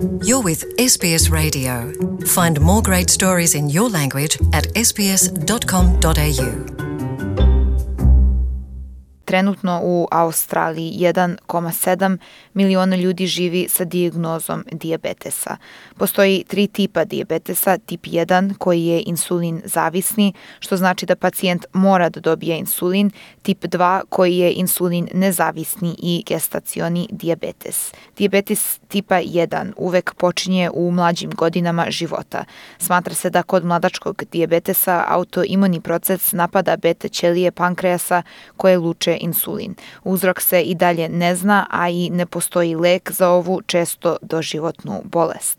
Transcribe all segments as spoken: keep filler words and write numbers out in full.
You're with S B S Radio. Find more great stories in your language at s b s dot com dot a u. Trenutno u Australiji jedan zarez sedam miliona ljudi živi sa dijagnozom dijabetesa. Postoji tri tipa dijabetesa, tip jedan koji je insulin zavisni, što znači da pacijent mora da dobije insulin, tip dva koji je insulin nezavisni i gestacioni dijabetes. Dijabetes tipa jedan uvek počinje u mlađim godinama života. Smatra se da kod mladačkog dijabetesa autoimuni proces napada beta ćelije pankreasa koje luče insulin. Uzrok se i dalje ne zna, a i ne postoji lek za ovu često doživotnu bolest.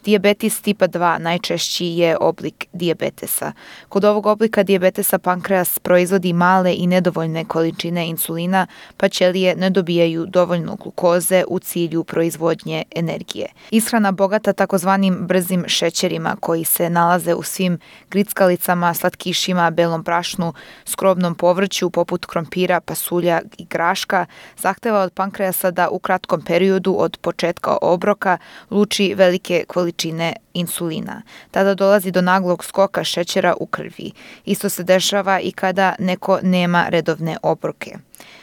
Dijabetes tipa dva najčešći je oblik dijabetesa. Kod ovog oblika dijabetesa pankreas proizvodi male i nedovoljne količine insulina, pa ćelije ne dobijaju dovoljno glukoze u cilju proizvodnje energije. Ishrana bogata takozvanim brzim šećerima koji se nalaze u svim grickalicama, slatkišima, belom brašnu, skrobnom povrću poput krompira, pasulja i graška, zahteva od pankreasa da u kratkom periodu od početka obroka luči velike količine čine insulina. Tada dolazi do naglog skoka šećera u krvi. Isto se dešava i kada neko nema redovne obroke.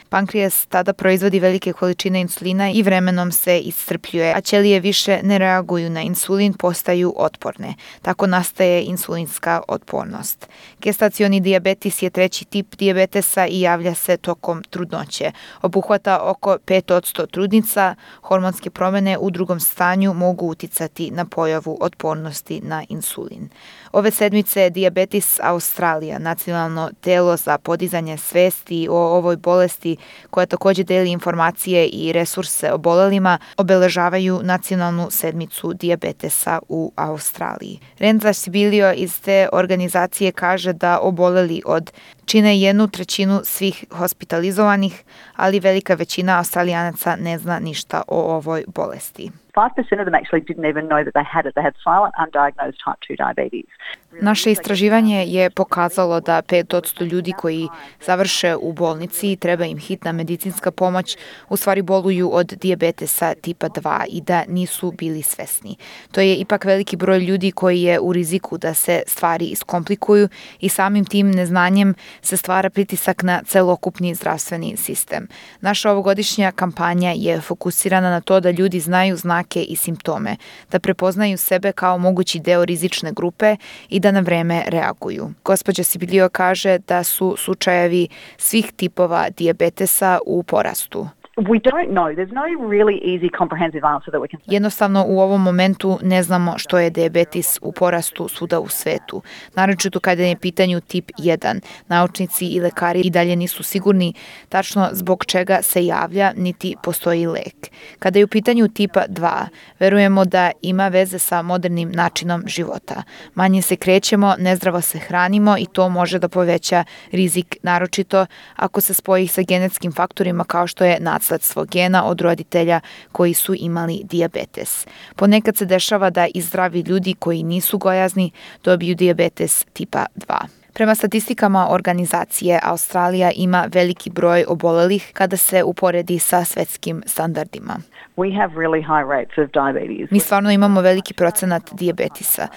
Pankreas tada proizvodi velike količine insulina i vremenom se iscrpljuje, a ćelije više ne reaguju na insulin, postaju otporne. Tako nastaje insulinska otpornost. Gestacioni dijabetes je treći tip dijabetesa i javlja se tokom trudnoće. Obuhvata oko pet posto trudnica. Hormonske promjene u drugom stanju mogu uticati na pojavu otpornosti na insulin. Ove sedmice Diabetes Australija, nacionalno telo za podizanje svesti o ovoj bolesti, koja također deli informacije i resurse obolelima, obeležavaju nacionalnu sedmicu dijabetesa u Australiji. Renza Sibilio iz te organizacije kaže da oboleli od čine jednu trećinu svih hospitalizovanih, ali velika većina Australijanaca ne zna ništa o ovoj bolesti. five percent of them actually didn't even know that they had it. They had silent, undiagnosed type two diabetes. Naše istraživanje je pokazalo da pet posto ljudi koji završe u bolnici i treba im hitna medicinska pomoć u stvari boluju od dijabetesa tipa dva i da nisu bili svesni. To je ipak veliki broj ljudi koji je u riziku da se stvari iskomplikuju i samim tim neznanjem se stvara pritisak na celokupni zdravstveni sistem. Naša ovogodišnja kampanja je fokusirana na to da ljudi znaju znake i simptome, da prepoznaju sebe kao mogući deo rizične grupe i da na vreme reaguju. Gospođa Sibilio kaže da su slučajevi svih tipova dijabetesa u porastu. We don't know. There's no really easy comprehensive answer that we can say. Jednostavno u ovom momentu ne znamo što je dijabetes u porastu svuda u svetu. Naročito kada je pitanju tip jedan. Naučnici i lekari i dalje nisu sigurni tačno zbog čega se javlja, niti postoji lek. Kada je u pitanju tipa dva, verujemo da ima veze sa modernim načinom života. Manje se krećemo, nezdravo se hranimo i to može da poveća rizik, naročito ako se spoji sa genetskim faktorima kao što je nasledstvo gena od roditelja koji su imali dijabetes. Ponekad se dešava da i zdravi ljudi koji nisu gojazni dobiju dijabetes tipa dva. Prema statistikama organizacije, Australija ima veliki broj obolelih kada se uporedi sa svetskim standardima. We have really high rates of diabetes. Mi stvarno imamo veliki procenat dijabetesa.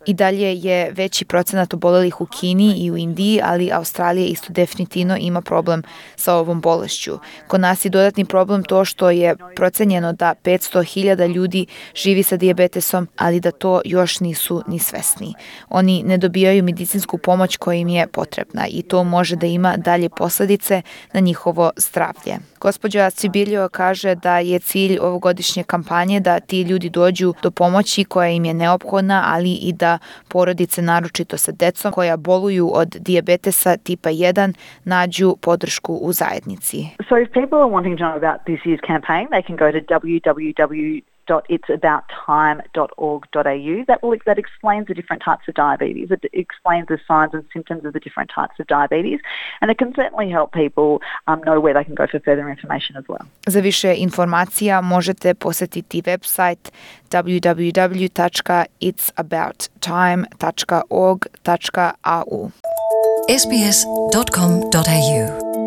I dalje je veći procenat obolelih u Kini i u Indiji, ali Australija isto definitivno ima problem sa ovom bolešću. Kod nas je dodatni problem to što je procenjeno da petsto hiljada ljudi živi sa dijabetesom, ali da to još nisu ni svesni. Oni ne dobijaju medicinsku pomoć koja im je potrebna i to može da ima dalje posljedice na njihovo zdravlje. Gospođa Sibilio kaže da je cilj ovogodišnje kampanje da ti ljudi dođu do pomoći koja im je neophodna, ali i da porodice, naročito sa decom koja boluju od dijabetesa tipa jedan, nađu podršku u zajednici. So if people are wanting to know about this year's campaign, they can go to w w w dot its about time dot org dot a u. That will that explains the different types of diabetes. It explains the signs and symptoms of the different types of diabetes, and it can certainly help people um, know where they can go for further information as well. Za više informacija možete posjetiti website w w w dot its about time dot org dot a u. s b s dot com dot a u